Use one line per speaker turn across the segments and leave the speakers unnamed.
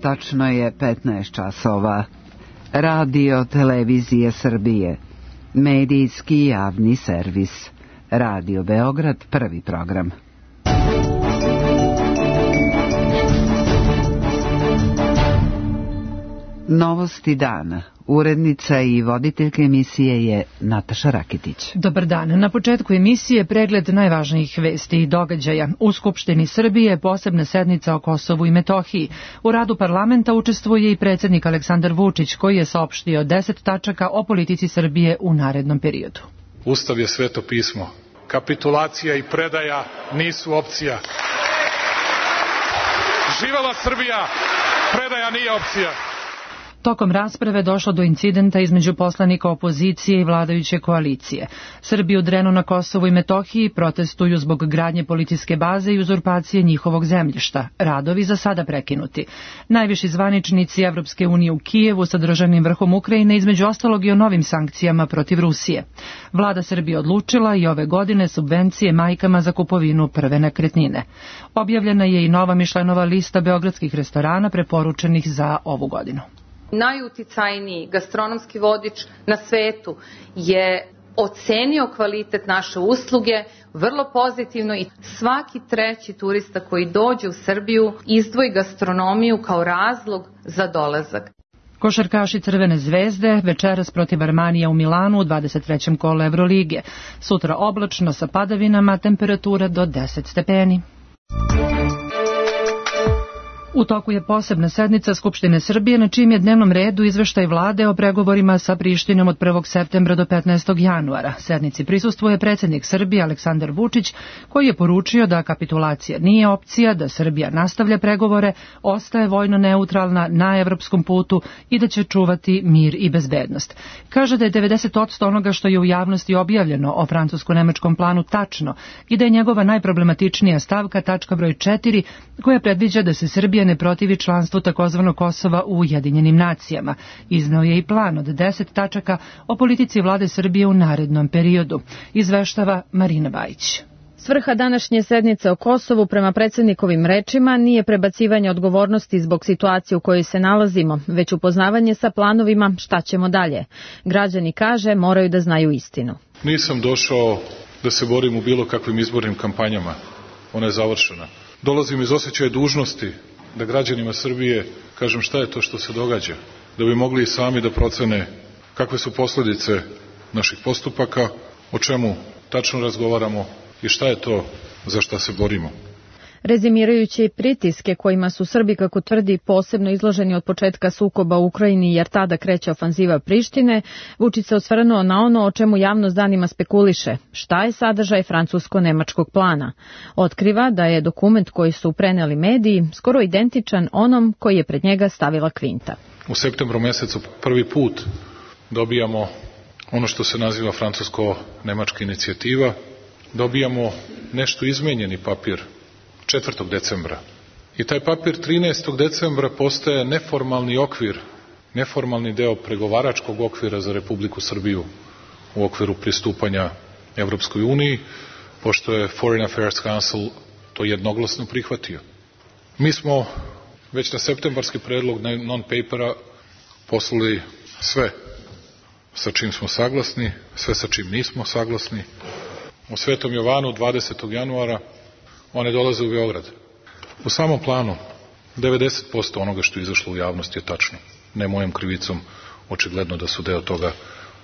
tačno je 15 časova. Radio Televizije Srbije, medijski javni servis. Radio Beograd, prvi program. Novosti dana. Urednica i voditeljka emisije je Nataša Rakitić.
Dobar dan. Na početku emisije pregled najvažnijih vesti i događaja. U Skupštini Srbije posebna sednica o Kosovu i Metohiji. U radu parlamenta učestvuje i predsjednik Aleksandar Vučić, koji je saopštio 10 tačaka o politici Srbije u narednom periodu.
Ustav je sveto pismo. Kapitulacija i predaja nisu opcija. Živela Srbija, predaja nije opcija.
Tokom rasprave došlo do incidenta između poslanika opozicije i vladajuće koalicije. Srbi u Drenu na Kosovu i Metohiji protestuju zbog gradnje policijske baze i uzurpacije njihovog zemljišta. Radovi za sada prekinuti. Najviši zvaničnici Evropske unije u Kijevu sa državnim vrhom Ukrajine između ostalog i o novim sankcijama protiv Rusije. Vlada Srbije odlučila i ove godine subvencije majkama za kupovinu prve nekretnine. Objavljena je i nova Mišlenova lista beogradskih restorana preporučenih za ovu godinu.
Najuticajniji gastronomski vodič na svetu je ocenio kvalitet naše usluge vrlo pozitivno i svaki treći turista koji dođe u Srbiju izdvoji gastronomiju kao razlog za dolazak.
Košarkaši Crvene zvezde večeras protiv Armanija u Milanu u 23. kolu Evrolige. Sutra oblačno sa padavinama, temperatura do 10 stepeni. U toku je posebna sednica Skupštine Srbije na čijem je dnevnom redu izveštaj vlade o pregovorima sa Prištinom od 1. septembra do 15. januara. Sednici prisustvuje predsjednik Srbije Aleksandar Vučić, koji je poručio da kapitulacija nije opcija, da Srbija nastavlja pregovore, ostaje vojno neutralna na evropskom putu i da će čuvati mir i bezbednost. Kaže da je 90% onoga što je u javnosti objavljeno o francusko-nemačkom planu tačno i da je njegova najproblematičnija stavka tačka broj 4, koja predviđa da se Srbija ne protivi članstvu takozvanog Kosova u Ujedinjenim nacijama. Izneo je i plan od 10 tačaka o politici vlade Srbije u narednom periodu. Izveštava Marina Bajić.
Svrha današnje sednice o Kosovu, prema predsjednikovim rečima, nije prebacivanje odgovornosti zbog situacije u kojoj se nalazimo, već upoznavanje sa planovima šta ćemo dalje. Građani, kaže, moraju da znaju istinu.
Nisam došao da se borim u bilo kakvim izbornim kampanjama. Ona je završena. Dolazim iz osjećaja dužnosti da građanima Srbije kažem šta je to što se događa, da bi mogli i sami da procene kakve su posljedice naših postupaka, o čemu tačno razgovaramo i šta je to za šta se borimo.
Rezimirajući pritiske kojima su Srbi, kako tvrdi, posebno izloženi od početka sukoba u Ukrajini jer tada kreće ofanziva Prištine, Vučić se osvrnuo na ono o čemu javnost danima spekuliše, šta je sadržaj francusko-nemačkog plana. Otkriva da je dokument koji su preneli mediji skoro identičan onom koji je pred njega stavila Kvinta.
U septembru mesecu prvi put dobijamo ono što se naziva francusko-nemačka inicijativa, dobijamo nešto izmenjeni papir 4. decembra. I taj papir 13. decembra postaje neformalni okvir, neformalni deo pregovaračkog okvira za Republiku Srbiju u okviru pristupanja Evropskoj uniji, pošto je Foreign Affairs Council to jednoglasno prihvatio. Mi smo već na septembarski predlog non-papera poslali sve sa čim smo saglasni, sve sa čim nismo saglasni. U Svetom Jovanu 20. januara one dolaze u Beograd. U samom planu 90% onoga što je izašlo u javnost je tačno. Ne mojom krivicom, očigledno da su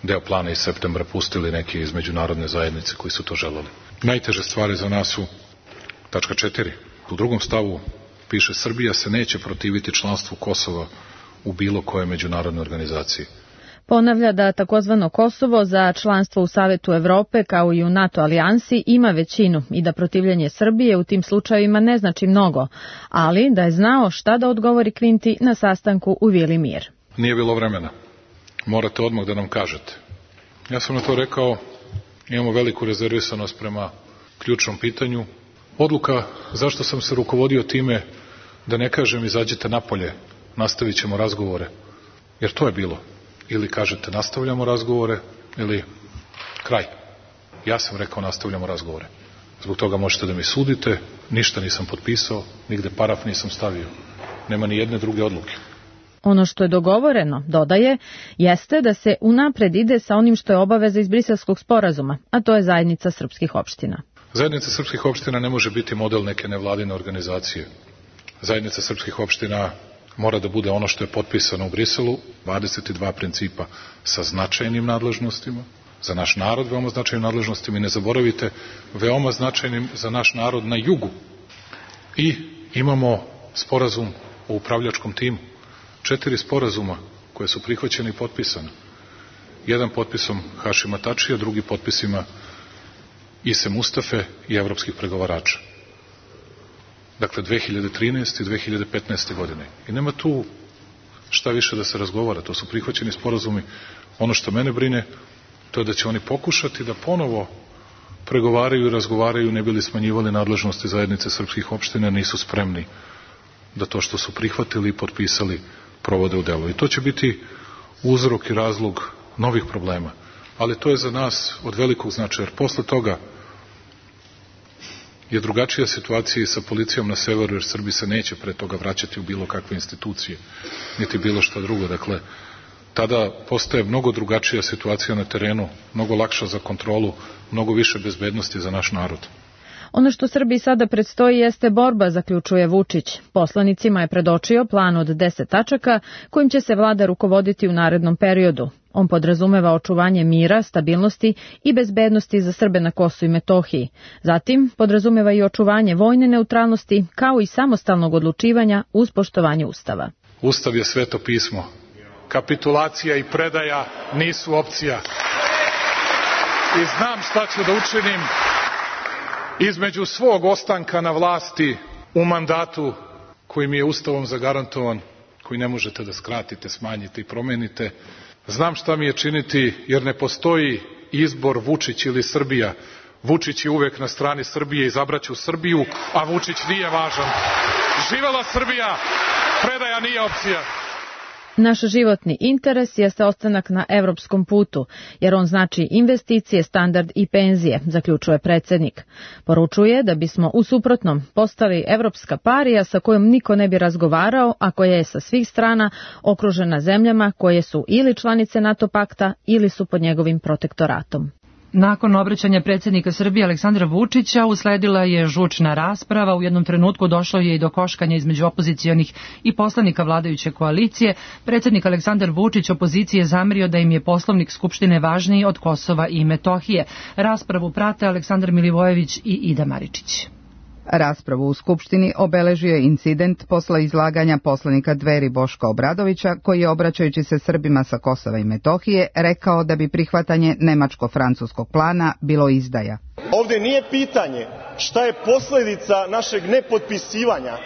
deo plana iz septembra pustili neki iz međunarodne zajednice koji su to želeli. Najteže stvari za nas su tačka 4. U drugom stavu piše Srbija se neće protiviti članstvu Kosova u bilo koje međunarodne organizacije.
Ponavlja da takozvano Kosovo za članstvo u Savetu Evrope kao i u NATO alijansi ima većinu i da protivljenje Srbije u tim slučajevima ne znači mnogo, ali da je znao šta da odgovori Kvinti na sastanku u Vili Mir.
Nije bilo vremena. Morate odmah da nam kažete. Ja sam na to rekao, imamo veliku rezervisanost prema ključnom pitanju. Odluka zašto sam se rukovodio time da ne kažem izađite napolje, nastavit ćemo razgovore, jer to je bilo. Ili kažete nastavljamo razgovore ili kraj. Ja sam rekao nastavljamo razgovore. Zbog toga možete da mi sudite, ništa nisam potpisao, nigde paraf nisam stavio. nema ni jedne druge odluke.
Ono što je dogovoreno, dodaje, jeste da se unapred ide sa onim što je obaveza iz Briselskog sporazuma, a to je zajednica srpskih opština.
Zajednica srpskih opština ne može biti model neke nevladine organizacije. Zajednica srpskih opština mora da bude ono što je potpisano u Briselu, 22 principa sa značajnim nadležnostima, za naš narod veoma značajnim nadležnostima i ne zaboravite, veoma značajnim za naš narod na jugu. I imamo sporazum o upravljačkom timu. 4 sporazuma koje su prihvaćene i potpisane. Jedan potpisom Hašima Tačija, drugi potpisima Ise Mustafe i evropskih pregovarača. Dakle, 2013. i 2015. godine. I nema tu šta više da se razgovara. To su prihvaćeni sporazumi. Ono što mene brine, to je da će oni pokušati da ponovo pregovaraju i razgovaraju, ne bili smanjivali nadležnosti zajednice srpskih opština, nisu spremni da to što su prihvatili i potpisali provode u delu. I to će biti uzrok i razlog novih problema. Ali to je za nas od velikog značaja, jer posle toga je drugačija situacija i sa policijom na severu, jer Srbi se neće pre toga vraćati u bilo kakve institucije, niti bilo šta drugo. Dakle, tada postaje mnogo drugačija situacija na terenu, mnogo lakša za kontrolu, mnogo više bezbednosti za naš narod.
Ono što Srbiji sada predstoji jeste borba, zaključuje Vučić. Poslanicima je predočio plan od 10 tačaka kojim će se vlada rukovoditi u narednom periodu. On podrazumeva očuvanje mira, stabilnosti i bezbednosti za Srbe na Kosovu i Metohiji. Zatim podrazumeva i očuvanje vojne neutralnosti kao i samostalnog odlučivanja uz poštovanje Ustava.
Ustav je sveto pismo. Kapitulacija i predaja nisu opcija. I znam šta ću da učinim između svog ostanka na vlasti u mandatu koji mi je Ustavom zagarantovan, koji ne možete da skratite, smanjite i promenite. Znam šta mi je činiti, jer ne postoji izbor Vučić ili Srbija. Vučić je uvek na strani Srbije, izabraću Srbiju, a Vučić nije važan. Živela Srbija, predaja nije opcija.
Naš životni interes jeste ostanak na evropskom putu, jer on znači investicije, standard i penzije, zaključuje predsjednik. Poručuje da bismo u suprotnom postali evropska parija sa kojom niko ne bi razgovarao, a koja je sa svih strana okružena zemljama koje su ili članice NATO pakta ili su pod njegovim protektoratom.
Nakon obraćanja predsjednika Srbije Aleksandra Vučića usledila je žučna rasprava. U jednom trenutku došlo je i do koškanja između opozicionih i poslanika vladajuće koalicije. Predsjednik Aleksandar Vučić opoziciji je zamerio da im je poslovnik Skupštine važniji od Kosova i Metohije. Raspravu prate Aleksandar Milivojević i Ida Maričić.
Raspravu u Skupštini obeležio je incident posle izlaganja poslanika Dveri Boška Obradovića, koji je, obraćajući se Srbima sa Kosova i Metohije, rekao da bi prihvatanje nemačko-francuskog plana bilo izdaja.
Ovde nije pitanje šta je posledica našeg nepotpisivanja,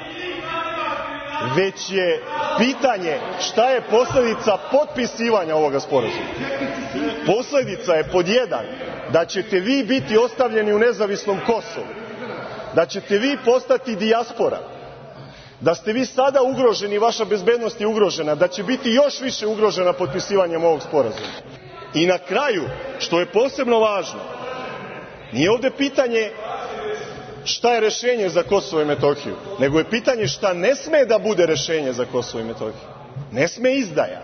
već je pitanje šta je posledica potpisivanja ovoga sporazuma. Posledica je pod 1 da ćete vi biti ostavljeni u nezavisnom Kosovu, da ćete vi postati dijaspora, da ste vi sada ugroženi, vaša bezbednost je ugrožena, da će biti još više ugrožena potpisivanjem ovog sporazuma. I na kraju, što je posebno važno, nije ovde pitanje šta je rešenje za Kosovo i Metohiju, nego je pitanje šta ne sme da bude rešenje za Kosovo i Metohiju. Ne sme izdaja.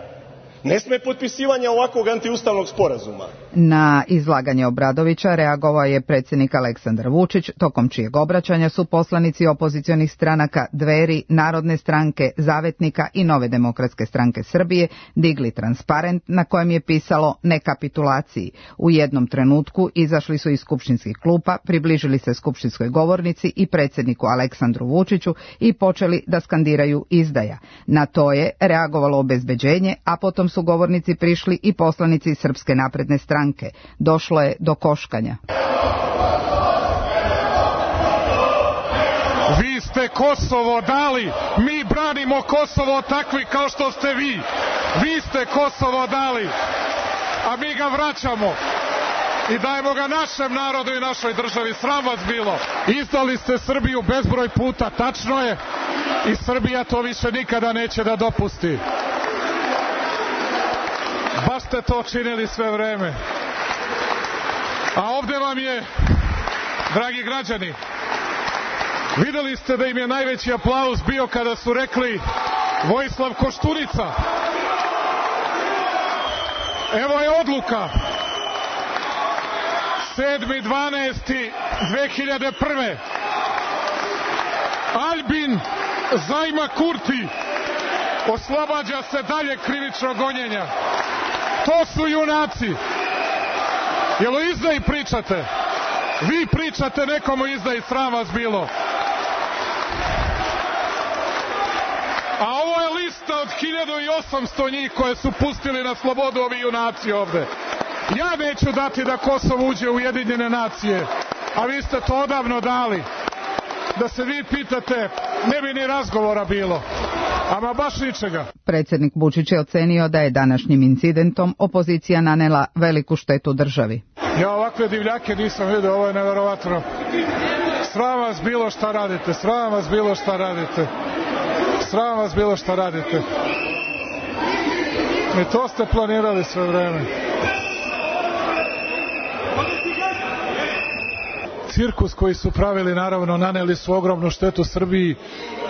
Ne sme potpisivanja ovakvog antiustavnog sporazuma.
Na izlaganje Obradovića reagovao je predsjednik Aleksandar Vučić, tokom čijeg obraćanja su poslanici opozicionih stranaka Dveri, Narodne stranke, Zavetnika i Nove demokratske stranke Srbije digli transparent na kojem je pisalo ne kapitulaciji. U jednom trenutku izašli su iz skupštinskih klupa, približili se skupštinskoj govornici i predsjedniku Aleksandru Vučiću i počeli da skandiraju izdaja. Na to je reagovalo obezbeđenje, a potom su govornici prišli i poslanici Srpske napredne stranke. Došlo je do koškanja.
Vi ste Kosovo dali, mi branimo Kosovo takvi kao što ste vi. Vi ste Kosovo dali, a mi ga vraćamo i dajemo ga našem narodu i našoj državi. Sram vas bilo. Izdali ste Srbiju bezbroj puta, tačno je, i Srbija to više nikada neće da dopusti. Baš ste to činili sve vreme. A ovde vam je, dragi građani, Videli ste da im je najveći aplauz bio kada su rekli Vojislav Koštunica. Evo je odluka. 7.12.2001. Albin Zajma Kurti oslobađa se dalje krivičnog gonjenja. To su junaci. Jel o izdaji pričate? Vi pričate nekom o izdaji, sram vas bilo. A ovo je lista od 1800 njih koje su pustili na slobodu ovi junaci ovde. Ja neću dati da Kosovo uđe u Ujedinjene nacije, a vi ste to odavno dali. Da se vi pitate, ne bi ni razgovora bilo. Ama baš ničega.
Predsjednik Vučić je ocenio da je današnjim incidentom opozicija nanela veliku štetu državi.
Ja ovakve divljake nisam vidio, ovo je neverovatno. Sram vas bilo šta radite, sram vas bilo šta radite. Sram vas bilo šta radite. I to ste planirali sve vreme. Cirkus koji su pravili, naravno, naneli su ogromnu štetu Srbiji.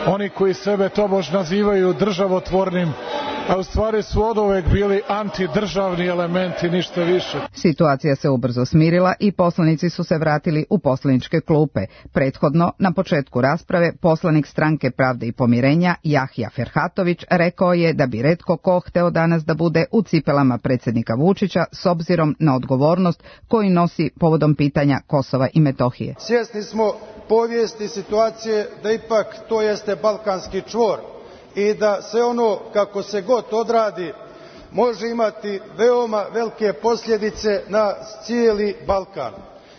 Oni koji sebe tobož nazivaju državotvornim, a u stvari su oduvek bili antidržavni elementi, ništa više.
Situacija se ubrzo smirila i poslanici su se vratili u poslaničke klupe. Prethodno, na početku rasprave, poslanik Stranke pravde i pomirenja Jahja Ferhatović rekao je da bi retko ko hteo danas da bude u cipelama predsjednika Vučića s obzirom na odgovornost koju nosi povodom pitanja Kosova i Metohije.
Svjesni smo povijesti situacije da ipak to jeste balkanski čvor i da sve ono kako se god odradi može imati veoma velike posljedice na cijeli Balkan.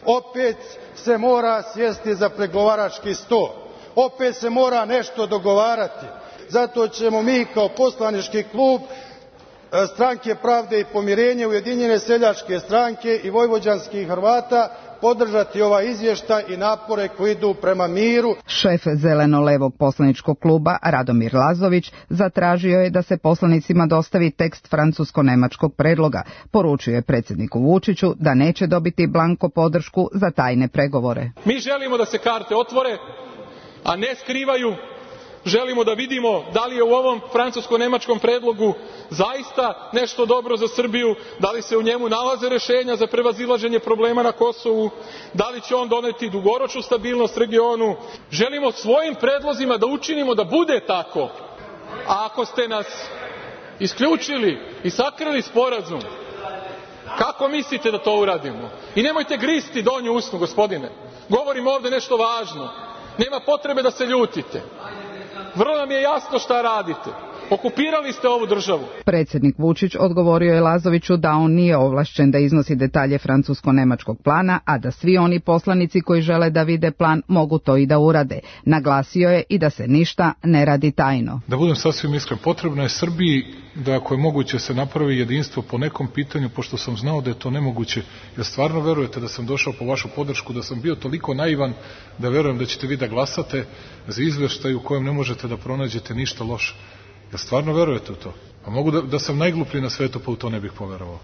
Opet se mora sjesti za pregovarački sto, opet se mora nešto dogovarati. Zato ćemo mi kao poslanički klub Stranke pravde i pomirenja, Ujedinjene seljačke stranke i vojvođanskih Hrvata podržati ovaj izvještaj i napore koji idu prema miru.
Šef zeleno-levog poslaničkog kluba Radomir Lazović zatražio je da se poslanicima dostavi tekst francusko-nemačkog predloga. Poručio je predsjedniku Vučiću da neće dobiti blanko podršku za tajne pregovore.
Mi želimo da se karte otvore, a ne skrivaju. Želimo da vidimo da li je u ovom francusko-nemačkom predlogu zaista nešto dobro za Srbiju, da li se u njemu nalaze rešenja za prevazilaženje problema na Kosovu, da li će on doneti dugoročnu stabilnost regionu. Želimo svojim predlozima da učinimo da bude tako. A ako ste nas isključili i sakrili sporazum, kako mislite da to uradimo? I nemojte gristi donju usnu, gospodine. Govorimo ovde nešto važno. Nema potrebe da se ljutite. Vrlo nam je jasno šta radite. Okupirali ste ovu državu.
Predsjednik Vučić odgovorio je Lazoviću da on nije ovlašćen da iznosi detalje francusko-nemačkog plana, a da svi oni poslanici koji žele da vide plan mogu to i da urade. Naglasio je i da se ništa ne radi tajno.
Da budem sasvim iskren, potrebno je Srbiji da ako je moguće se napravi jedinstvo po nekom pitanju, pošto sam znao da je to nemoguće. Jer stvarno verujete da sam došao po vašu podršku, da sam bio toliko naivan da verujem da ćete vi da glasate za izveštaj u kojem ne možete da pronađete ništa loše. Ja stvarno verujete u to? A mogu da sam najgluplji na svetu, pa u to ne bih poverovao.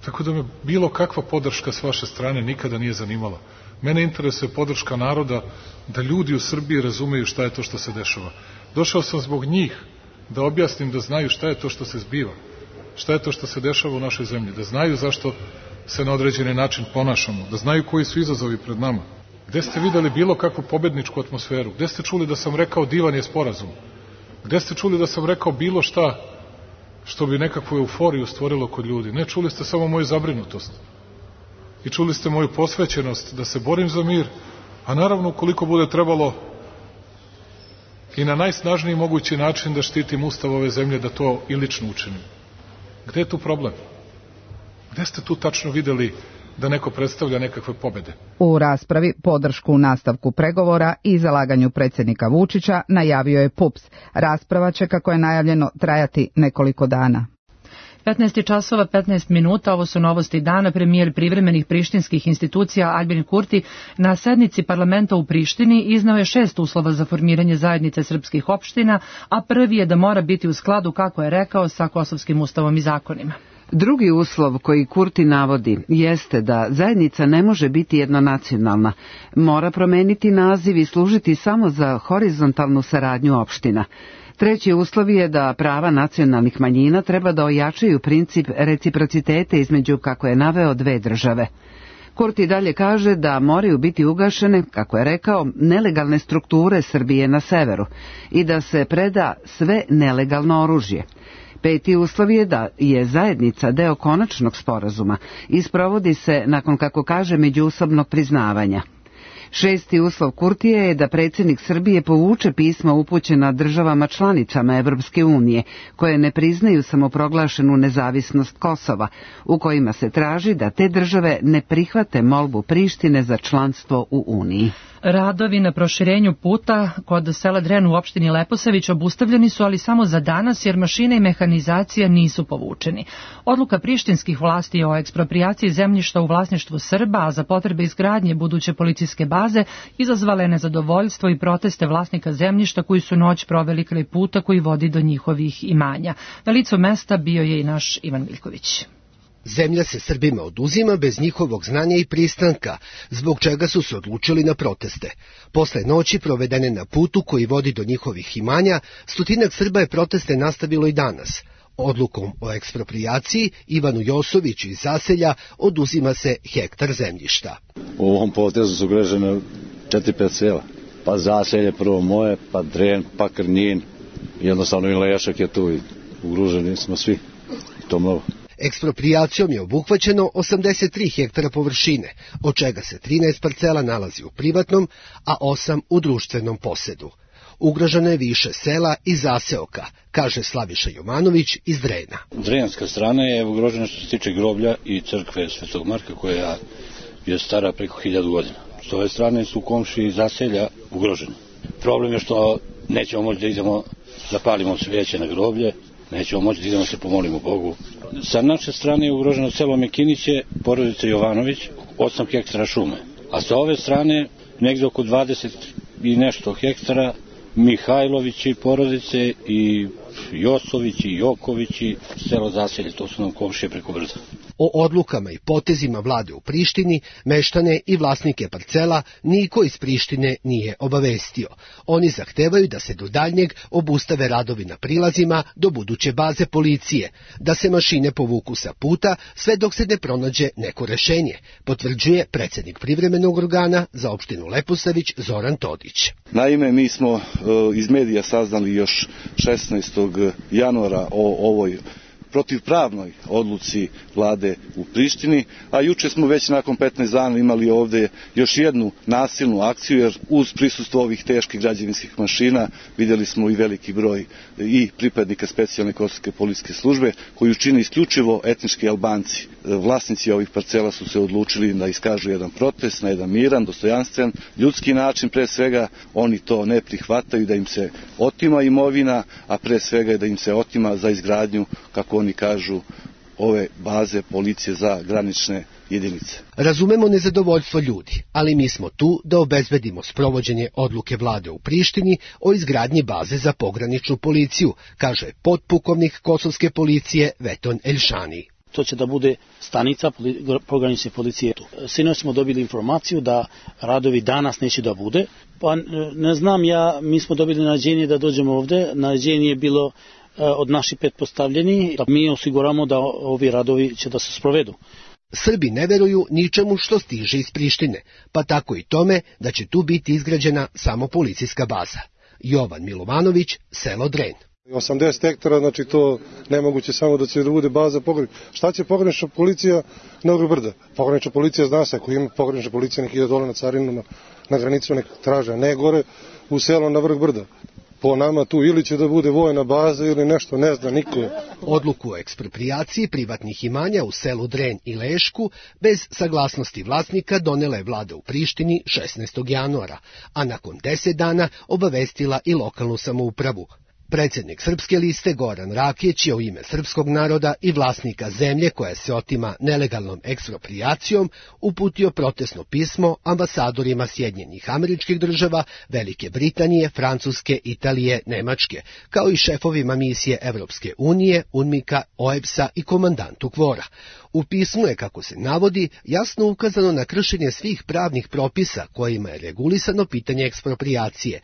Tako da me bilo kakva podrška s vaše strane nikada nije zanimala. Mene interesuje podrška naroda, da ljudi u Srbiji razumeju šta je to što se dešava. Došao sam zbog njih da objasnim, da znaju šta je to što se zbiva, šta je to što se dešava u našoj zemlji, da znaju zašto se na određeni način ponašamo, da znaju koji su izazovi pred nama. Gde ste videli bilo kakvu pobedničku atmosferu? Gde ste čuli da sam rekao divan je sporazum? Gde ste čuli da sam rekao bilo šta što bi nekakvu euforiju stvorilo kod ljudi? Ne, čuli ste samo moju zabrinutost. I čuli ste moju posvećenost da se borim za mir, a naravno ukoliko bude trebalo i na najsnažniji mogući način da štitim ustav ove zemlje, da to i lično učinim. Gde je tu problem? Gde ste tu tačno videli da neko predstavlja nekakve pobede?
U raspravi podršku u nastavku pregovora i zalaganju predsjednika Vučića najavio je PUPS. Rasprava će, kako je najavljeno, trajati nekoliko dana.
15 časova 15 minuta, ovo su novosti dana. Premijer privremenih prištinskih institucija Albin Kurti na sednici parlamenta u Prištini iznao je 6 uslova za formiranje zajednice srpskih opština, a prvi je da mora biti u skladu, kako je rekao, sa kosovskim ustavom i zakonima.
Drugi uslov koji Kurti navodi jeste da zajednica ne može biti jednonacionalna, mora promeniti naziv i služiti samo za horizontalnu saradnju opština. Treći uslov je da prava nacionalnih manjina treba da ojačaju princip reciprocitete između, kako je naveo, dve države. Kurti dalje kaže da moraju biti ugašene, kako je rekao, nelegalne strukture Srbije na severu i da se preda sve nelegalno oružje. Peti uslov je da je zajednica deo konačnog sporazuma i sprovodi se nakon, kako kaže, međusobnog priznavanja. Šesti uslov Kurtija je da predsjednik Srbije povuče pisma upućena državama članicama Evropske unije, koje ne priznaju samoproglašenu nezavisnost Kosova, u kojima se traži da te države ne prihvate molbu Prištine za članstvo u Uniji.
Radovi na proširenju puta kod sela Dren u opštini Leposavić obustavljeni su, ali samo za danas, jer mašine i mehanizacija nisu povučeni. Odluka prištinskih vlasti o eksproprijaciji zemljišta u vlasništvu Srba, a za potrebe izgradnje buduće policijske baze, izazvala je nezadovoljstvo i proteste vlasnika zemljišta koji su noć proveli kraj puta koji vodi do njihovih imanja. Na licu mesta bio je i naš Ivan Miljković.
Zemlja se Srbima oduzima bez njihovog znanja i pristanka, zbog čega su se odlučili na proteste. Posle noći provedene na putu koji vodi do njihovih imanja, stotinak Srba je proteste nastavilo i danas. Odlukom o eksproprijaciji Ivanu Josoviću iz Zaselja oduzima se hektar zemljišta.
U ovom potezu su ugrožene 4-5 sela. Pa Zaselje prvo moje, pa Dren, pa Krnjin. Jednostavno i Lešak je tu i ugroženi smo svi. To mnogo.
Eksproprijacijom je obuhvaćeno 83 hektara površine, od čega se 13 parcela nalazi u privatnom, a 8 u društvenom posedu. Ugroženo je više sela i zaseoka, kaže Slaviša Jovanović iz Drena.
Drenska strana je ugrožena što se tiče groblja i crkve Svetog Marka, koja je stara preko 1000 godina. S ove strane su komšiji Zaselja ugroženi. Problem je što nećemo moći da idemo da palimo svijeće na groblje, nećemo moći da idemo se pomolimo Bogu. Sa naše strane je ugroženo selo Mekiniće, porodica Jovanović, 8 hektara šume. A sa ove strane negdje oko 20 i nešto hektara Mihajlovići porodice i Josovići, Jokovići, selo Zaselje, to su nam komšije preko brda.
O odlukama i potezima vlade u Prištini, meštane i vlasnike parcela niko iz Prištine nije obavestio. Oni zahtevaju da se do daljnjeg obustave radovi na prilazima do buduće baze policije, da se mašine povuku sa puta sve dok se ne pronađe neko rešenje, potvrđuje predsjednik privremenog organa za opštinu Leposavić Zoran Todić.
Naime, mi smo iz medija saznali još 16. januara o ovoj protivpravnoj odluci vlade u Prištini, a juče smo već nakon 15 dana imali ovdje još jednu nasilnu akciju, jer uz prisustvo ovih teških građevinskih mašina vidjeli smo i veliki broj i pripadnika specijalne kosovske policijske službe, koju čine isključivo etnički Albanci. Vlasnici ovih parcela su se odlučili da iskažu jedan protest na jedan miran, dostojanstven, ljudski način. Pre svega oni to ne prihvataju, da im se otima imovina, a pre svega da im se otima za izgradnju, kako oni kažu, ove baze policije za granične jedinice.
Razumemo nezadovoljstvo ljudi, ali mi smo tu da obezbedimo sprovođenje odluke vlade u Prištini o izgradnji baze za pograničnu policiju, kaže potpukovnik kosovske policije Veton Elšani.
To će da bude stanica pogranične policije. Sinoć smo dobili informaciju da radovi danas neće da bude. Pa ne znam, mi smo dobili naređenje da dođemo ovde. Naređenje je bilo od naših pretpostavljeni, da mi osiguramo da ovi radovi će da se sprovedu.
Srbi ne veruju ničemu što stiže iz Prištine, pa tako i tome da će tu biti izgrađena samo policijska baza. Jovan Milovanović, selo Dren.
80 hektara, znači to nemoguće samo da će da bude baza pogranična. Šta će pogranična policija na vrh brda? Pogranična policija zna se, ako ima pogranična policija, nek ide dole na carinu, na granicu nek traže, ne gore u selo na vrh brda. Po nama tu ili će da bude vojna baza ili nešto, ne zna niko.
Odluku o eksproprijaciji privatnih imanja u selu Dren i Lešku bez saglasnosti vlasnika donela je vlada u Prištini 16. januara, a nakon 10 dana obavestila i lokalnu samoupravu. Predsjednik Srpske liste Goran Rakić je u ime srpskog naroda i vlasnika zemlje koja se otima nelegalnom eksproprijacijom uputio protestno pismo ambasadorima Sjedinjenih Američkih Država, Velike Britanije, Francuske, Italije, Nemačke, kao i šefovima misije Evropske unije, UNMIK-a, OEBS-a i komandantu KFOR-a. U pismu je, kako se navodi, jasno ukazano na kršenje svih pravnih propisa kojima je regulisano pitanje eksproprijacije,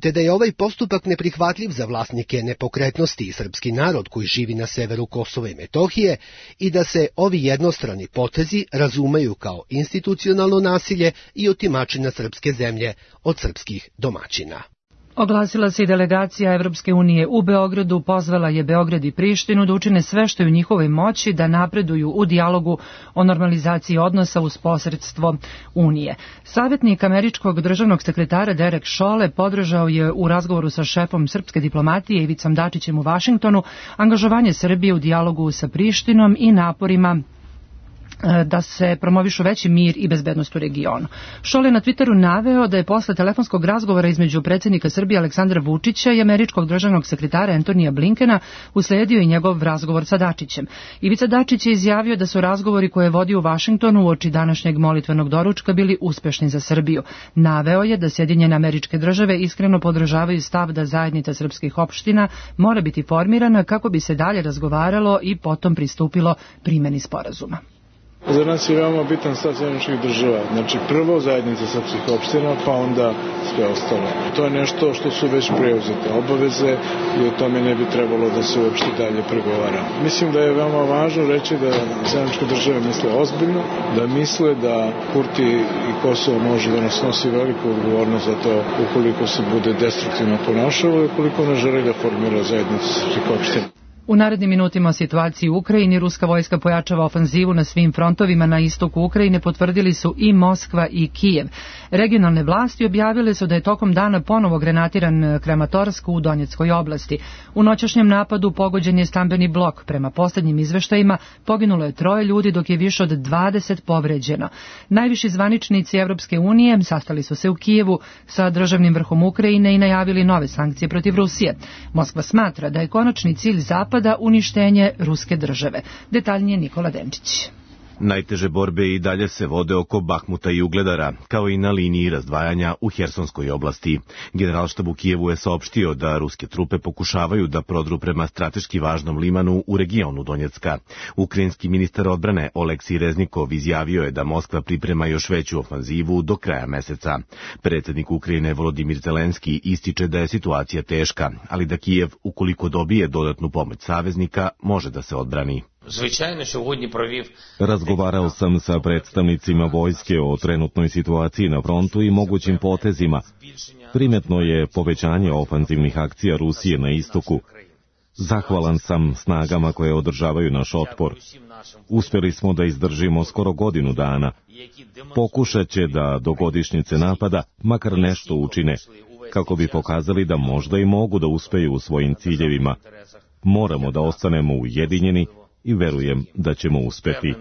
te da je ovaj postupak neprihvatljiv za vlasnike nepokretnosti i srpski narod koji živi na severu Kosova i Metohije i da se ovi jednostrani potezi razumeju kao institucionalno nasilje i otimačina srpske zemlje od srpskih domaćina.
Oglasila se i delegacija Evropske unije u Beogradu, pozvala je Beograd i Prištinu da učine sve što je u njihovoj moći da napreduju u dijalogu o normalizaciji odnosa uz posredstvo Unije. Savjetnik američkog državnog sekretara Derek Chollet podržao je u razgovoru sa šefom srpske diplomatije Ivicom Dačićem u Vašingtonu angažovanje Srbije u dijalogu sa Prištinom i naporima da se promovišu veći mir i bezbednost u regionu. Chollet na Twitteru naveo da je posle telefonskog razgovora između predsjednika Srbije Aleksandra Vučića i američkog državnog sekretara Antonija Blinkena usledio i njegov razgovor sa Dačićem. Ivica Dačić je izjavio da su razgovori koje je vodio u Vašingtonu uoči današnjeg molitvenog doručka bili uspešni za Srbiju. Naveo je da Sjedinjene Američke Države iskreno podržavaju stav da zajednica srpskih opština mora biti formirana kako bi se dalje razgovaralo i potom pristupilo primjeni sporazuma.
Za nas je veoma bitan stav Sjedinjenih Država. Znači prvo zajednica srpskih opština, pa onda sve ostalo. To je nešto što su već preuzete obaveze i o tome ne bi trebalo da se uopšte dalje pregovara. Mislim da je veoma važno reći da Sjedinjene Države misle ozbiljno, da misle da Kurti i Kosovo može da nas nosi veliku odgovornost za to ukoliko se bude destruktivno ponašalo i ukoliko ne želi da formira zajednicu srpskih opština.
U narednim minutima o situaciji u Ukrajini ruska vojska pojačava ofanzivu na svim frontovima na istoku Ukrajine, potvrdili su i Moskva i Kijev. Regionalne vlasti objavile su da je tokom dana ponovo grenatiran Kramatorsk u Donjeckoj oblasti. U noćašnjem napadu pogođen je stambeni blok. Prema posljednjim izveštajima poginulo je 3 ljudi dok je više od 20 povređeno. Najviši zvaničnici Evropske unije sastali su se u Kijevu sa državnim vrhom Ukrajine i najavili nove sankcije protiv Rusije. Moskva smatra da je konačni cilj Zapada uništenje ruske države. Detaljnije Nikola Denčić.
Najteže borbe i dalje se vode oko Bahmuta i Ugledara, kao i na liniji razdvajanja u Hersonskoj oblasti. Generalštab u Kijevu je saopštio da ruske trupe pokušavaju da prodru prema strateški važnom limanu u regionu Donjecka. Ukrajinski ministar odbrane Oleksij Reznikov izjavio je da Moskva priprema još veću ofanzivu do kraja meseca. Predsjednik Ukrajine Volodimir Zelenski ističe da je situacija teška, ali da Kijev, ukoliko dobije dodatnu pomoć saveznika, može da se odbrani.
Razgovarao sam sa predstavnicima vojske o trenutnoj situaciji na frontu i mogućim potezima. Primetno je povećanje ofanzivnih akcija Rusije na istoku. Zahvalan sam snagama koje održavaju naš otpor. Uspjeli smo da izdržimo skoro godinu dana. Pokušat će da do godišnjice napada makar nešto učine, kako bi pokazali da možda i mogu da uspeju u svojim ciljevima. Moramo da ostanemo ujedinjeni i verujem da ćemo uspeti.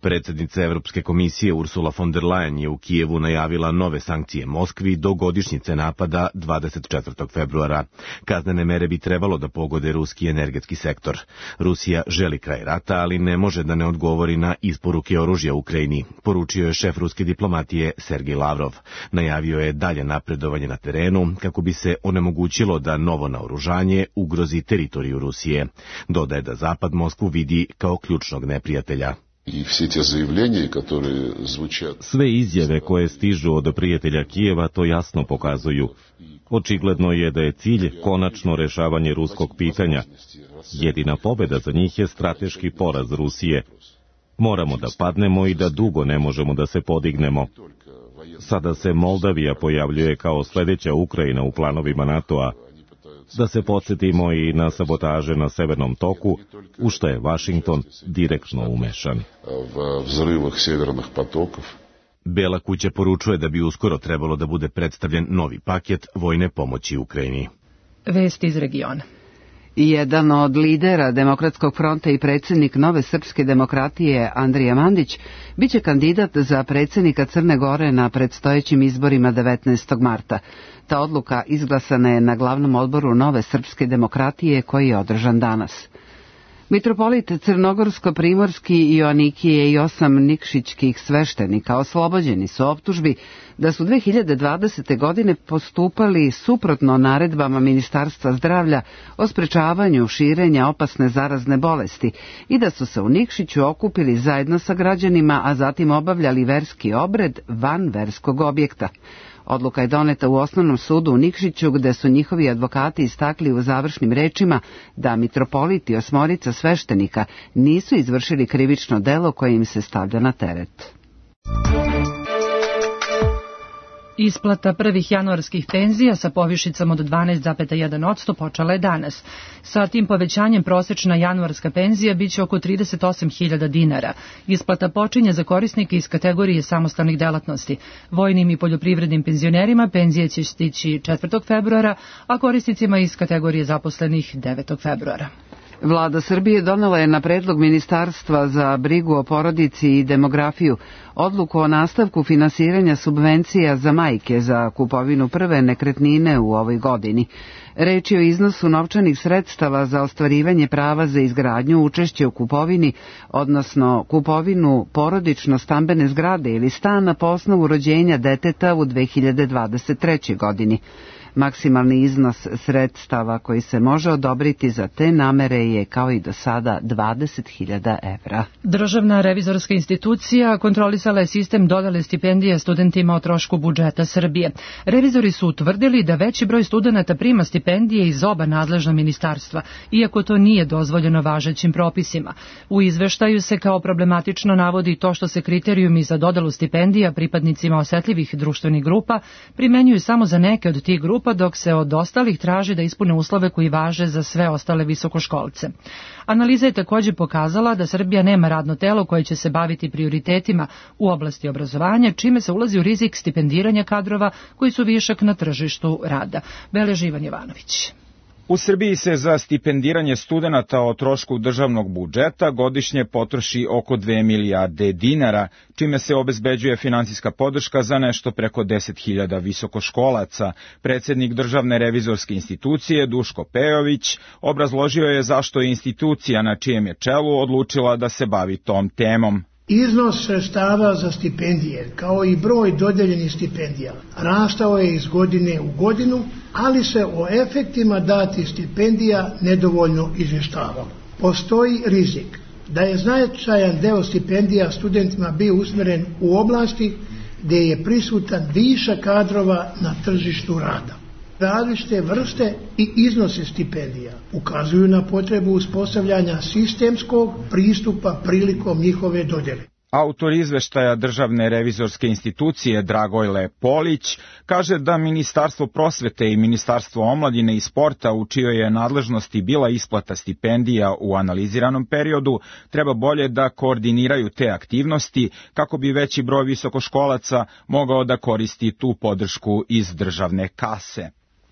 Predsjednica Evropske komisije Ursula von der Leyen je u Kijevu najavila nove sankcije Moskvi do godišnjice napada 24. februara. Kaznene mere bi trebalo da pogode ruski energetski sektor. Rusija želi kraj rata, ali ne može da ne odgovori na isporuke oružja Ukrajini, poručio je šef ruske diplomatije Sergej Lavrov. Najavio je dalje napredovanje na terenu kako bi se onemogućilo da novo naoružanje ugrozi teritoriju Rusije. Dodaje da Zapad Moskvu vidi kao ključnog neprijatelja.
Sve izjave koje stižu od prijatelja Kijeva to jasno pokazuju. Očigledno je da je cilj konačno rešavanje ruskog pitanja. Jedina pobjeda za njih je strateški poraz Rusije. Moramo da padnemo i da dugo ne možemo da se podignemo. Sada se Moldavija pojavljuje kao sljedeća Ukrajina u planovima NATO-a. Da se podsjetimo i na sabotaže na Severnom toku, u što je Vašington direktno umešan.
Bela kuća poručuje da bi uskoro trebalo da bude predstavljen novi paket vojne pomoći Ukrajini.
Vesti iz regiona.
Jedan od lidera Demokratskog fronta i predsjednik Nove srpske demokratije Andrija Mandić biće kandidat za predsjednika Crne Gore na predstojećim izborima 19. marta. Ta odluka izglasana je na glavnom odboru Nove srpske demokratije koji je održan danas. Mitropolit Crnogorsko-Primorski Joanikije i 8 nikšićkih sveštenika oslobođeni su optužbi da su 2020. godine postupali suprotno naredbama Ministarstva zdravlja o sprečavanju širenja opasne zarazne bolesti i da su se u Nikšiću okupili zajedno sa građanima, a zatim obavljali verski obred van verskog objekta. Odluka je doneta u Osnovnom sudu u Nikšiću, gde su njihovi advokati istakli u završnim rečima da mitropolit i 8 sveštenika nisu izvršili krivično delo koje im se stavlja na teret.
Isplata prvih januarskih penzija sa povišicama od 12,1% počela je danas. Sa tim povećanjem prosečna januarska penzija biće oko 38.000 dinara. Isplata počinje za korisnike iz kategorije samostalnih delatnosti. Vojnim i poljoprivrednim penzionerima penzije će stići 4. februara, a korisnicima iz kategorije zaposlenih 9. februara.
Vlada Srbije donela je na predlog Ministarstva za brigu o porodici i demografiju odluku o nastavku finansiranja subvencija za majke za kupovinu prve nekretnine u ovoj godini. Reč je o iznosu novčanih sredstava za ostvarivanje prava za izgradnju, učešće u kupovini, odnosno kupovinu porodično-stambene zgrade ili stana po osnovu rođenja deteta u 2023. godini. Maksimalni iznos sredstava koji se može odobriti za te namere je kao i do sada 20.000 evra.
Državna revizorska institucija kontrolisala je sistem dodele stipendija studentima o trošku budžeta Srbije. Revizori su utvrdili da veći broj studenata prima stipendije iz oba nadležna ministarstva, iako to nije dozvoljeno važećim propisima. U izveštaju se kao problematično navodi to što se kriterijumi za dodelu stipendija pripadnicima osetljivih društvenih grupa primenjuju samo za neke od tih grupa, dok se od ostalih traži da ispune uslove koji važe za sve ostale visokoškolce. Analiza je također pokazala da Srbija nema radno telo koje će se baviti prioritetima u oblasti obrazovanja, čime se ulazi u rizik stipendiranja kadrova koji su višak na tržištu rada. Beleži Ivan Jovanović.
U Srbiji se za stipendiranje studenata o trošku državnog budžeta godišnje potroši oko 2 milijarde dinara, čime se obezbeđuje finansijska podrška za nešto preko 10.000 visokoškolaca. Predsjednik Državne revizorske institucije Duško Pejović obrazložio je zašto je institucija na čijem je čelu odlučila da se bavi tom temom.
Iznos sredstava za stipendije, kao i broj dodeljenih stipendija, rastao je iz godine u godinu, ali se o efektima datih stipendija nedovoljno izvještavalo. Postoji rizik da je značajan deo stipendija studentima bio usmjeren u oblasti gdje je prisutan višak kadrova na tržištu rada. Različite vrste i iznose stipendija ukazuju na potrebu uspostavljanja sistemskog pristupa prilikom njihove dodjele.
Autor izveštaja Državne revizorske institucije Dragojle Polić kaže da Ministarstvo prosvete i Ministarstvo omladine i sporta, u čijoj je nadležnosti bila isplata stipendija u analiziranom periodu, treba bolje da koordiniraju te aktivnosti kako bi veći broj visokoškolaca mogao da koristi tu podršku iz državne kase.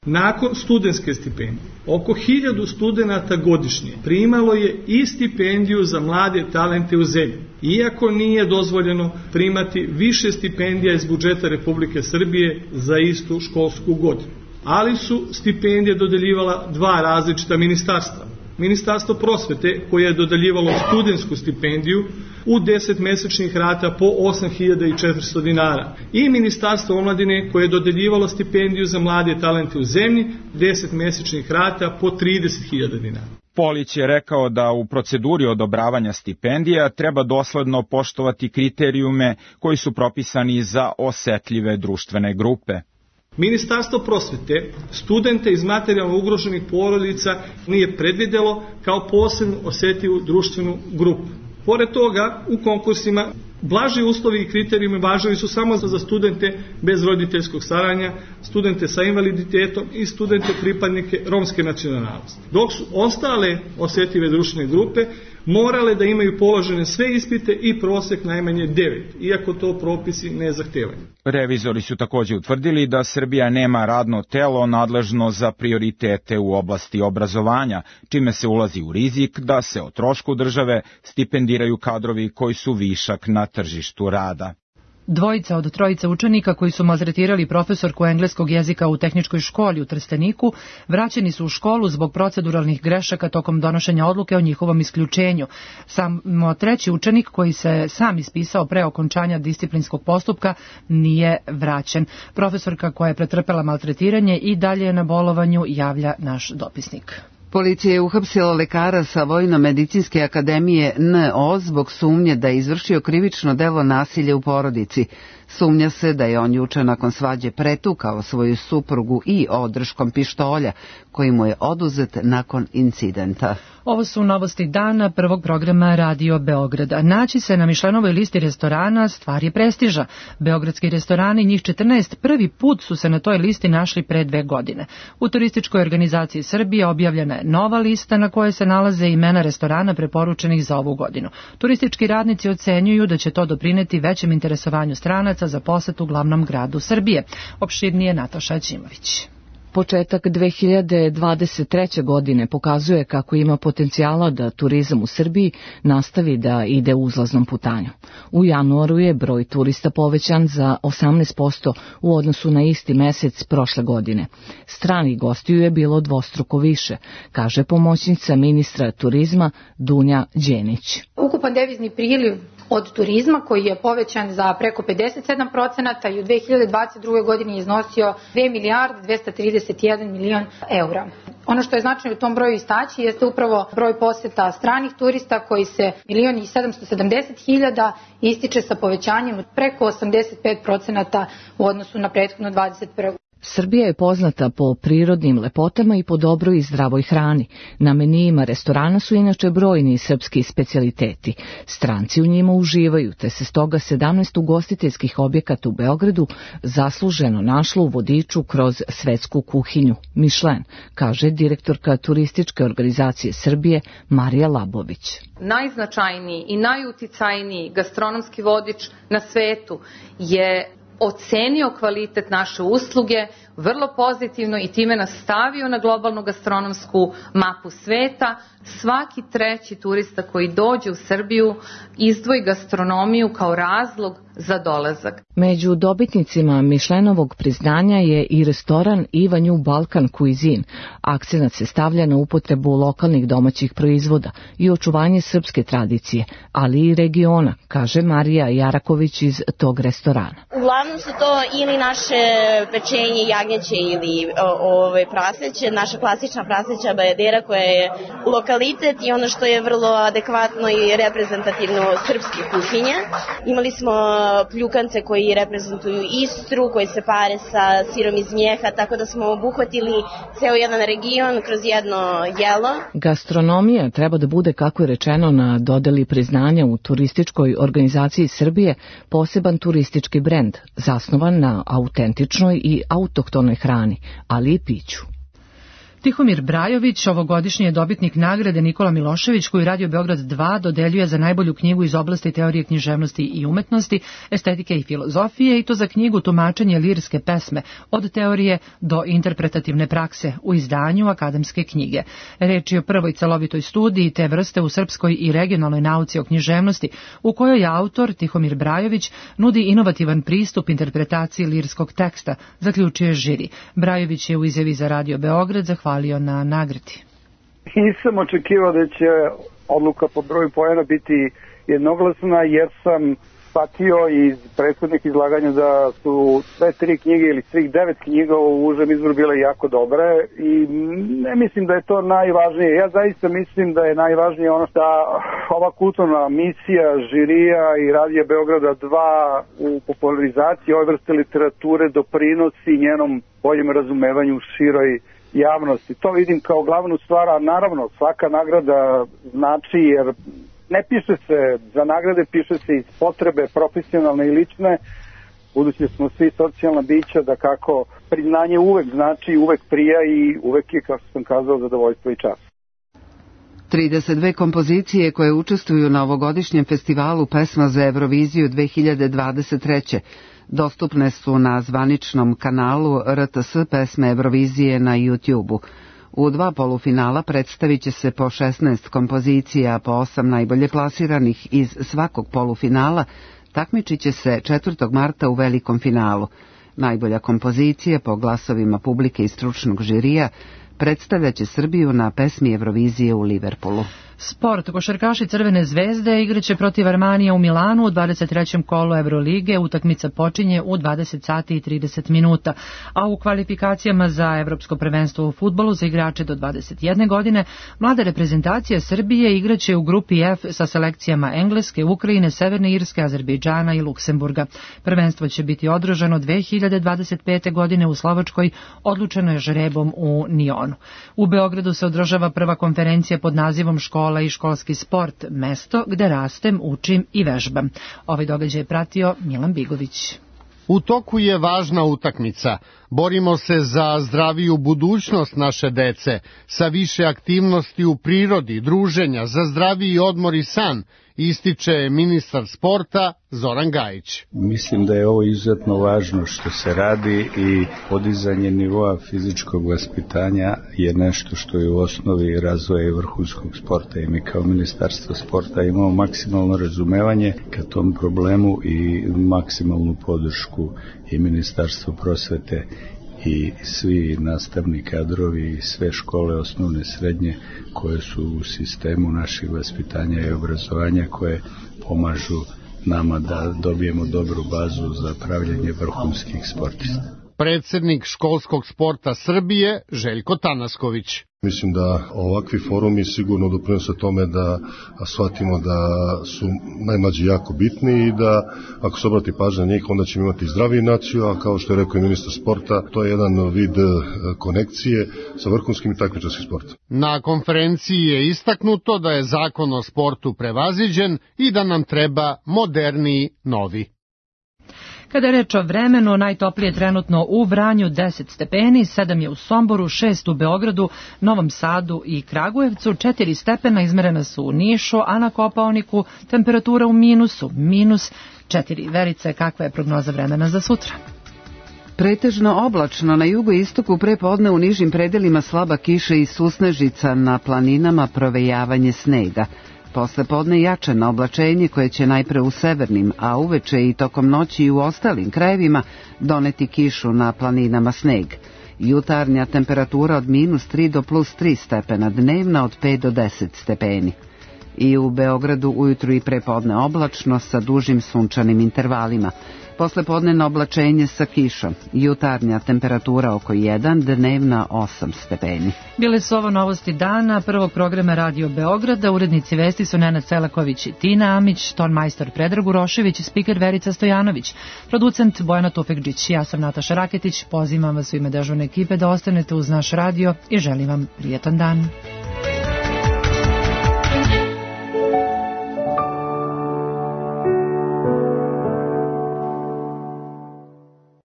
Nakon studentske stipendije, oko 1000 studenata godišnje primalo je i stipendiju za mlade talente u zemlji, iako nije dozvoljeno primati više stipendija iz budžeta Republike Srbije za istu školsku godinu. Ali su stipendije dodeljivala dva različita ministarstva. Ministarstvo prosvete, koje je dodeljivalo studentsku stipendiju u 10 mesečnih rata po 8.400 dinara, i Ministarstvo omladine, koje je dodeljivalo stipendiju za mlade talente u zemlji 10 mesečnih rata po 30.000 dinara.
Polić je rekao da u proceduri odobravanja stipendija treba dosledno poštovati kriterijume koji su propisani za osetljive društvene grupe.
Ministarstvo prosvete studente iz materijalno ugroženih porodica nije predvidjelo kao posebno osjetljivu društvenu grupu. Pored toga, u konkursima blaži uslovi i kriterijumi važili su samo za studente bez roditeljskog staranja, studente sa invaliditetom i studente pripadnike romske nacionalnosti. Dok su ostale osjetljive društvene grupe morale da imaju položene sve ispite i prosek najmanje 9, iako to propisi ne zahtevaju.
Revizori su takođe utvrdili da Srbija nema radno telo nadležno za prioritete u oblasti obrazovanja, čime se ulazi u rizik da se o trošku države stipendiraju kadrovi koji su višak na tržištu rada.
Dvojica od trojice učenika koji su maltretirali profesorku engleskog jezika u tehničkoj školi u Trsteniku vraćeni su u školu zbog proceduralnih grešaka tokom donošenja odluke o njihovom isključenju. Samo treći učenik koji se sam ispisao pre okončanja disciplinskog postupka nije vraćen. Profesorka koja je pretrpela maltretiranje i dalje je na bolovanju, javlja naš dopisnik.
Policija je uhapsila lekara sa Vojno-medicinske akademije NO zbog sumnje da je izvršio krivično delo nasilja u porodici. Sumnja se da je on juče nakon svađe pretukao svoju suprugu i odrškom pištolja, koji mu je oduzet nakon incidenta.
Ovo su novosti dana prvog programa Radio Beograda. Naći se na Mišlenovoj listi restorana stvar je prestiža. Beogradski restorani, njih 14, prvi put su se na toj listi našli pre 2 godine. U turističkoj organizaciji Srbije objavljena je nova lista na kojoj se nalaze imena restorana preporučenih za ovu godinu. Turistički radnici ocenjuju da će to doprineti većem interesovanju stranaca za posetu glavnom gradu Srbije. Opširnije Nataša Ćimović.
Početak 2023. godine pokazuje kako ima potencijala da turizam u Srbiji nastavi da ide uzlaznom putanjom. U januaru je broj turista povećan za 18% u odnosu na isti mesec prošle godine. Stranih gostiju je bilo dvostruko više, kaže pomoćnica ministra turizma Dunja Đenić.
Ukupan devizni priliv od turizma koji je povećan za preko 57% i u 2022. godini je iznosio 2 milijarde 231 milion eura. Ono što je značajno u tom broju istaći jeste upravo broj poseta stranih turista koji se 1.770.000 ističe sa povećanjem od preko 85% u odnosu na prethodno 21.
Srbija je poznata po prirodnim lepotama i po dobroj i zdravoj hrani. Na menijima restorana su inače brojni srpski specijaliteti. Stranci u njima uživaju, te se stoga 17 ugostiteljskih objekata u Beogradu zasluženo našlo u vodiču kroz svetsku kuhinju Michelin, kaže direktorka turističke organizacije Srbije Marija Labović.
Najznačajniji i najuticajniji gastronomski vodič na svetu je ocenio kvalitet naše usluge vrlo pozitivno i time nas stavio na globalnu gastronomsku mapu sveta. Svaki treći turista koji dođe u Srbiju izdvoji gastronomiju kao razlog za dolazak.
Među dobitnicima Mišlenovog priznanja je i restoran Ivanju Balkan Cuisine. Akcenat se stavlja na upotrebu lokalnih domaćih proizvoda i očuvanje srpske tradicije, ali i regiona, kaže Marija Jaraković iz tog restorana.
Uglavnom su to ili naše pečenje jagnjeće ili praseće, naša klasična praseća bajadera koja je lokalitet i ono što je vrlo adekvatno i reprezentativno srpske kuhinje. Imali smo pljukance koji reprezentuju Istru, koji se pare sa sirom iz mjeha, tako da smo obuhvatili ceo jedan region kroz jedno jelo.
Gastronomija treba da bude, kako je rečeno na dodeli priznanja u turističkoj organizaciji Srbije, poseban turistički brend, zasnovan na autentičnoj i autohtonoj hrani, ali i piću.
Tihomir Brajović, ovogodišnji je dobitnik nagrade Nikola Milošević, koju Radio Beograd 2 dodeljuje za najbolju knjigu iz oblasti teorije književnosti i umetnosti, estetike i filozofije, i to za knjigu Tumačenje lirske pesme, od teorije do interpretativne prakse, u izdanju Akademske knjige. Reč je o prvoj celovitoj studiji te vrste u srpskoj i regionalnoj nauci o književnosti, u kojoj je autor Tihomir Brajović nudi inovativan pristup interpretaciji lirskog teksta, zaključuje žiri. Brajović je u izjavi za Radio Beograd zahvalio na nagradi.
Nisam očekivao da će odluka po broju poena biti jednoglasna, jer sam shvatio iz prethodnih izlaganja da su sve 3 knjige ili svih 9 knjiga u užem izboru bile jako dobre i ne mislim da je to najvažnije. Ja zaista mislim da je najvažnije ono da ova kulturna misija žirija i Radija Beograda 2 u popularizaciji ove vrste literature doprinosi njenom boljem razumevanju široj javnosti. To vidim kao glavnu stvar, a naravno svaka nagrada znači, jer ne piše se za nagrade, piše se iz potrebe profesionalne i lične, budući smo svi socijalna bića, da kako priznanje uvek znači, uvek prija i uvek je, kao što sam kazao, zadovoljstvo i čast.
32 kompozicije koje učestvuju na ovogodišnjem festivalu pesma za Euroviziju 2023. dostupne su na zvaničnom kanalu RTS pesme Eurovizije na YouTube-u. U 2 polufinala predstavit će se po 16 kompozicija, po 8 najbolje plasiranih iz svakog polufinala takmičit će se 4. marta u velikom finalu. Najbolja kompozicija po glasovima publike i stručnog žirija predstavljaće Srbiju na pesmi Eurovizije u Liverpoolu.
Sport. Košarkaši Crvene zvezde igraće protiv Armanija u Milanu u 23. kolu Evrolige. Utakmica počinje u 20 sati i 30 minuta, a u kvalifikacijama za Evropsko prvenstvo u fudbalu za igrače do 21 godine mlada reprezentacija Srbije igraće u grupi F sa selekcijama Engleske, Ukrajine, Severne Irske, Azerbejdžana i Luksemburga. Prvenstvo će biti održano 2025. godine u Slovačkoj, odlučeno je žrebom u Nionu. U Beogradu se održava prva konferencija pod nazivom Škola i školski sport, mesto gde rastem, učim i vežbam. Ovaj događaj je pratio Milan Bigović.
U toku je važna utakmica. Borimo se za zdraviju budućnost naše dece, sa više aktivnosti u prirodi, druženja, za zdraviji odmor i san, ističe ministar sporta Zoran Gajić.
Mislim da je ovo izuzetno važno što se radi i podizanje nivoa fizičkog vaspitanja je nešto što je u osnovi razvoja i vrhunskog sporta i mi kao ministarstvo sporta imamo maksimalno razumevanje ka tom problemu i maksimalnu podršku i ministarstvo prosvete i svi nastavni kadrovi i sve škole osnovne srednje koje su u sistemu naših vaspitanja i obrazovanja koje pomažu nama da dobijemo dobru bazu za pravljenje vrhunskih sportista.
Predsjednik školskog sporta Srbije Željko Tanasković.
Mislim da ovakvi forumi sigurno doprinose tome da shvatimo da su najmlađi jako bitni i da ako se obrati pažnja na njih onda ćemo imati zdraviju naciju, a kao što je rekao i ministar sporta, to je jedan vid konekcije sa vrhunskim i takmičarskim sportom.
Na konferenciji je istaknuto da je zakon o sportu prevaziđen i da nam treba moderniji novi.
Kada je reč o vremenu, najtoplije trenutno u Vranju 10 stepeni, 7 je u Somboru, 6 u Beogradu, Novom Sadu i Kragujevcu, 4 stepena izmerena su u Nišu, a na Kopaoniku temperatura u minusu, -4. Verice, kakva je prognoza vremena za sutra?
Pretežno oblačno, na jugoistoku prepodne u nižim predelima slaba kiša i susnežica, na planinama provejavanje snega. Posle podne jačano oblačenje koje će najpre u severnim, a uveče i tokom noći i u ostalim krajevima doneti kišu, na planinama sneg. Jutarnja temperatura od -3 do +3 stepena, dnevna od 5 do 10 stepeni. I u Beogradu ujutru i prepodne oblačno sa dužim sunčanim intervalima. Posle podnevno oblačenje sa kišom. Jutarnja temperatura oko 1, dnevna 8 stepeni.
Bile su ovo novosti dana prvog programa Radio Beograda. Urednici vesti su Nenad Selaković i Tina Amić, tonmajstor Predrag Urošević i spiker Verica Stojanović. Producent Bojana Tufekđić. Ja sam Nataša Raketić. Pozivam vas u ime dežurne ekipe da ostanete uz naš radio i želim vam prijetan dan.